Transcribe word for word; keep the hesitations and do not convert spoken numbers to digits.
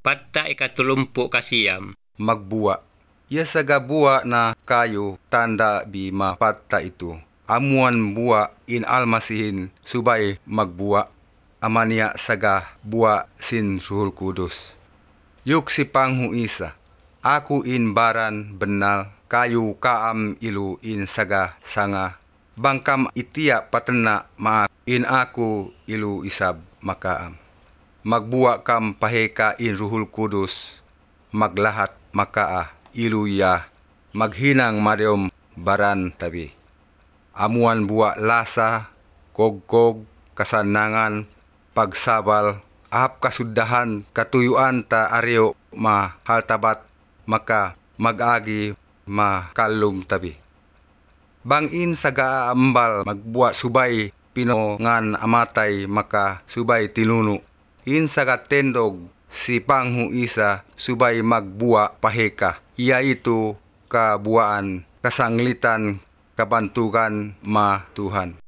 Patta' ikatulumpū' kasiyam. Magbuwa'. Iya saga buwa' na kayu tanda' bi mapatta' itu. Amuan buwa' in Almasihin subay magbuwa'. Amaniya saga buwa' sin Ruhul Kudus. Yuk si Panghu Isa, aku in baran bennal kayu kaam ilu in saga sanga. Bang kam itiya' patenna' maak in aku ilu isab makaam. Magbuwa' kam paheka in Ruhul Kudus, maglahat makaa ilu iya, maghinang madiyum baran tabi. Amuan buwa' lasa, kogkog, kasannangan, pagsabal, ahap kasuddahan, katuyuan ta ariyu' mahaltabat, maka mag-agi makallum tabi. Bang in saga ambal magbuwa' subay pinungan amatay maka subay tinunu'. In saga tendug si Panghu Isa subay magbuwa' paheka, yaitu kabuwaan, kasanglitan, kabantugan ma Tuhan.